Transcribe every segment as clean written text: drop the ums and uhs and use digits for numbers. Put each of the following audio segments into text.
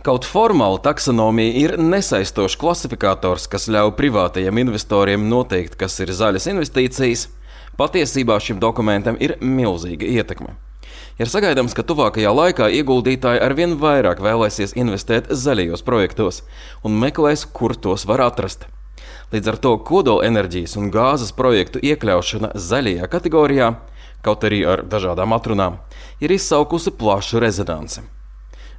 Kaut formāli taksonomija ir nesaistošs klasifikators, kas ļauj privātajiem investoriem noteikt, kas ir zaļas investīcijas. Patiesībā šim dokumentam ir milzīga ietekme. Ir sagaidāms, ka tuvākajā laikā ieguldītāji arvien vairāk vēlēsies investēt zaļajos projektos un meklēs, kur tos var atrast. Līdz ar to kodolenerģijas un gāzes projektu iekļaušana zaļajā kategorijā, kaut arī ar dažādām atrunām, ir izsaukusi plašu rezonanci.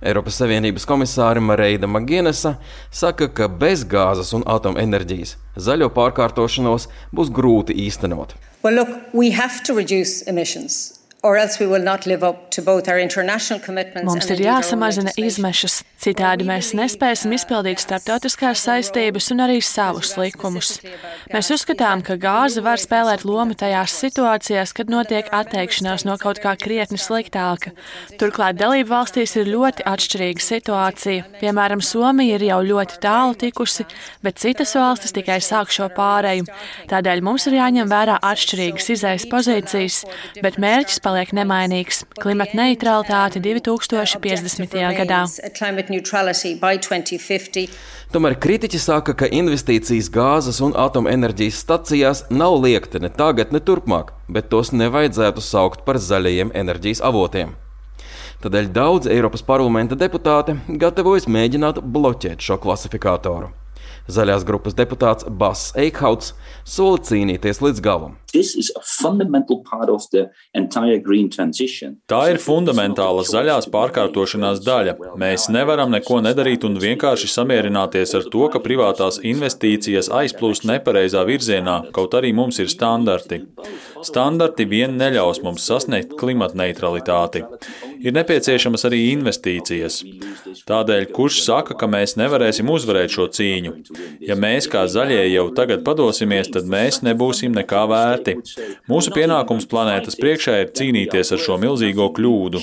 Eiropas Savienības komisāre Mareida Maginesa saka, ka bez gāzes un atomenerģijas zaļo pārkārtošanos būs grūti īstenot. Well, look, we have to reduce emissions. Mums ir jāsamazina izmešas, citādi mēs nespēsim izpildīt starptautiskās saistības un arī savus likumus. Mēs uzskatām, ka gāze var spēlēt lomu tajās situācijās, kad notiek atteikšanās no kaut kā krietni sliktāka. Turklāt dalību valstīs ir ļoti atšķirīga situācija. Piemēram, Somija ir jau ļoti tālu tikusi, bet citas valstis tikai sāk šo pāreju. Tādēļ mums ir jāņem vērā atšķirīgas izejas pozīcijas, bet mērķis paliek nemainīgs – klimata neitralitāte 2050. gadā. Tomēr kritiķi saka, ka investīcijas gāzes un atomenerģijas stacijās nav liekti ne tagad, ne turpmāk, bet tos nevajadzētu saukt par zaļajiem enerģijas avotiem. Tādēļ daudz Eiropas parlamenta deputāti gatavojas mēģināt bloķēt šo klasifikātoru. Zaļās grupas deputāts Bas Eikhauts sola cīnīties līdz galam. Tā ir fundamentāla zaļās pārkārtošanās daļa. Mēs nevaram neko nedarīt un vienkārši samierināties ar to, ka privātās investīcijas aizplūst nepareizā virzienā, kaut arī mums ir standarti. Standarti vien neļaus mums sasniegt klimata neutralitāti. Ir nepieciešamas arī investīcijas. Tādēļ, kurš saka, ka mēs nevarēsim uzvarēt šo cīņu? Ja mēs kā zaļie jau tagad padosimies, tad mēs nebūsim nekā vērti. Mūsu pienākums planētas priekšā ir cīnīties ar šo milzīgo kļūdu.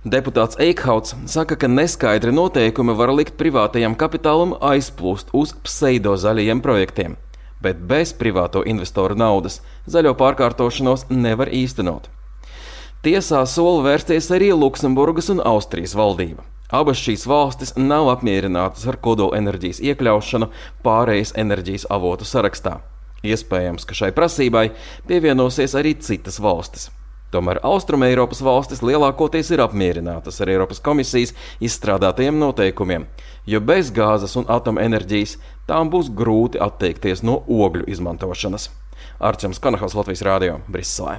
Deputāts Eikhauts saka, ka neskaidri noteikumi var likt privātajam kapitālam aizplūst uz pseidozaļajiem projektiem, bet bez privāto investoru naudas zaļo pārkārtošanos nevar īstenot. Tiesā sola vērsties arī Luksemburgas un Austrijas valdība. Abas šīs valstis nav apmierinātas ar kodolenerģijas iekļaušanu pārejas enerģijas avotu sarakstā. Iespējams, ka šai prasībai pievienosies arī citas valstis. Tomēr Austrumeiropas valstis lielākoties ir apmierinātas ar Eiropas komisijas izstrādātajiem noteikumiem, jo bez gāzes un atomenerģijas tām būs grūti atteikties no ogļu izmantošanas. Arčuns Kanahals, Latvijas Rādio, Briselē.